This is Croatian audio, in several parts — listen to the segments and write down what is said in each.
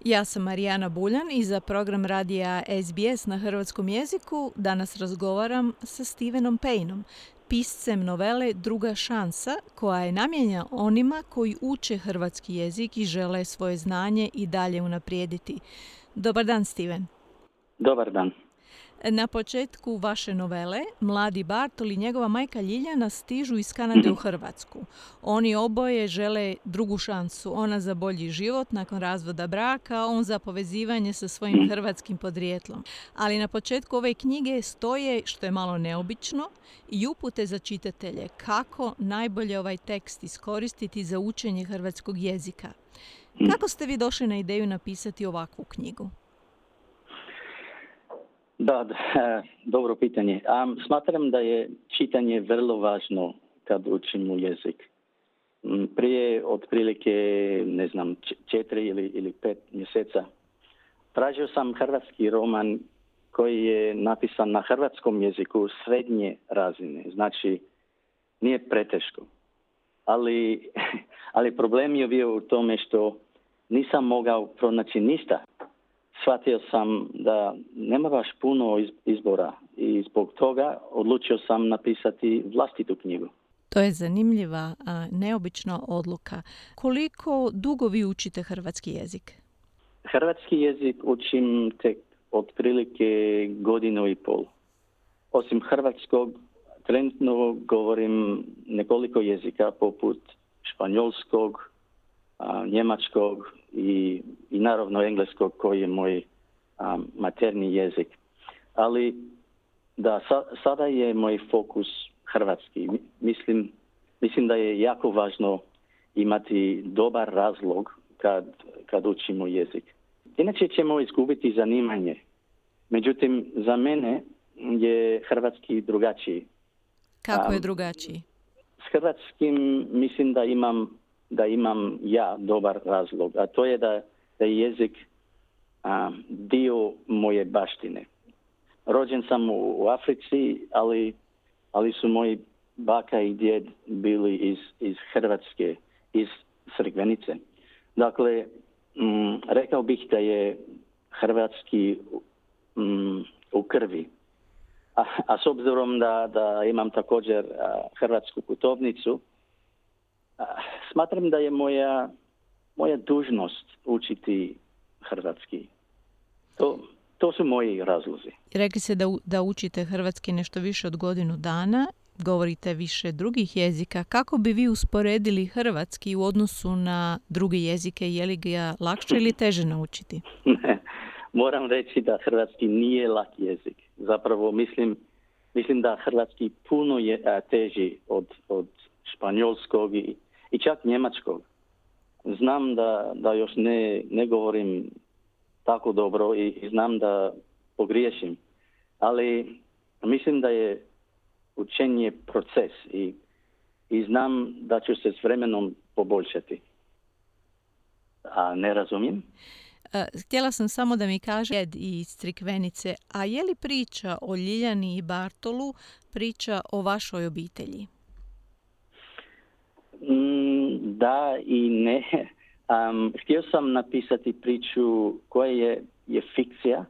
Ja sam Marijana Buljan i za program radija SBS na hrvatskom jeziku danas razgovaram sa Stevenom Payneom, piscem novele Druga šansa, koja je namijenjena onima koji uče hrvatski jezik i žele svoje znanje i dalje unaprijediti. Dobar dan, Steven. Dobar dan. Na početku vaše novele, mladi Bartol i njegova majka Ljiljana stižu iz Kanade u Hrvatsku. Oni oboje žele drugu šansu. Ona za bolji život nakon razvoda braka, on za povezivanje sa svojim hrvatskim podrijetlom. Ali na početku ove knjige stoje, što je malo neobično, i upute za čitatelje kako najbolje ovaj tekst iskoristiti za učenje hrvatskog jezika. Kako ste vi došli na ideju napisati ovakvu knjigu? Da, dobro pitanje. Smatram da je čitanje vrlo važno kad učimo jezik. Prije otprilike, 4 ili 5 mjeseca tražio sam hrvatski roman koji je napisan na hrvatskom jeziku srednje razine. Znači, nije preteško. Ali problem je bio u tome što nisam mogao pronaći ništa. Shvatio sam da nema baš puno izbora i zbog toga odlučio sam napisati vlastitu knjigu. To je zanimljiva, neobična odluka. Koliko dugo vi učite hrvatski jezik? Hrvatski jezik učim tek otprilike 1.5 godine. Osim hrvatskog, trenutno govorim nekoliko jezika poput španjolskog, njemačkog i naravno engleskog koji je moj materni jezik. Ali da sada je moj fokus hrvatski. Mislim da je jako važno imati dobar razlog kad učimo jezik. Inače ćemo izgubiti zanimanje. Međutim, za mene je hrvatski drugačiji. Kako je drugačiji? S hrvatskim mislim da imam ja dobar razlog, a to je da je jezik dio moje baštine. Rođen sam u Africi, ali su moji baka i djed bili iz Hrvatske, iz Crikvenice. Dakle, rekao bih da je hrvatski u krvi. A s obzirom da imam također hrvatsku putovnicu, smatram da je moja dužnost učiti hrvatski. To su moji razlozi. Rekli ste da učite hrvatski nešto više od 1 godinu dana, govorite više drugih jezika. Kako bi vi usporedili hrvatski u odnosu na druge jezike? Je li ga lakše ili teže naučiti? Moram reći da hrvatski nije lak jezik. Zapravo mislim da hrvatski puno je teži od španjolskog i čak njemačkog. Znam da još ne govorim tako dobro i znam da pogriješim, ali mislim da je učenje proces i znam da ću se s vremenom poboljšati. A ne razumijem? Htjela sam samo da mi kaže iz Crikvenice, a je li priča o Ljiljani i Bartolu priča o vašoj obitelji? Da i ne. Htio sam napisati priču koja je fikcija,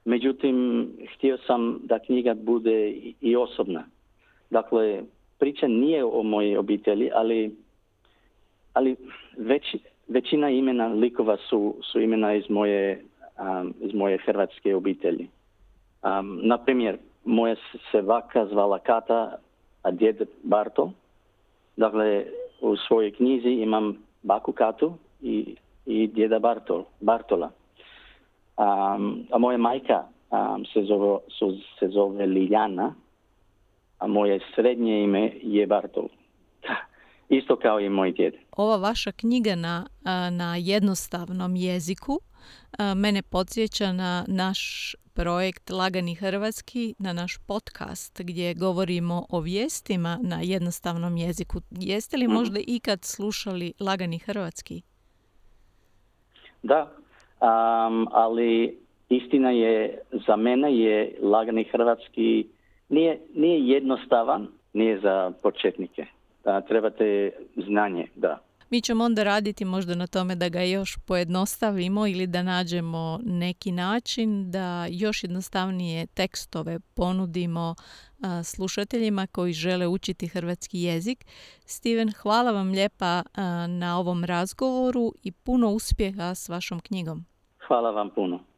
međutim htio sam da knjiga bude i osobna. Dakle, priča nije o mojej obitelji, ali većina imena likova su imena iz moje hrvatske obitelji. Na primjer, moja se baka zvala Kata, a djed Bartol. Dakle, u svojoj knjizi imam baku Katu i djeda Bartola. A moja majka se zove Ljiljana, a moje srednje ime je Bartol. Isto kao i moj djed. Ova vaša knjiga na jednostavnom jeziku mene podsjeća na naš projekt Lagani hrvatski, na naš podcast gdje govorimo o vijestima na jednostavnom jeziku. Jeste li možda ikad slušali Lagani hrvatski? Da, ali istina je, za mene je Lagani hrvatski nije jednostavan, nije za početnike. Trebate znanje, da. Mi ćemo onda raditi možda na tome da ga još pojednostavimo ili da nađemo neki način da još jednostavnije tekstove ponudimo slušateljima koji žele učiti hrvatski jezik. Steven, hvala vam lijepa na ovom razgovoru i puno uspjeha s vašom knjigom. Hvala vam puno.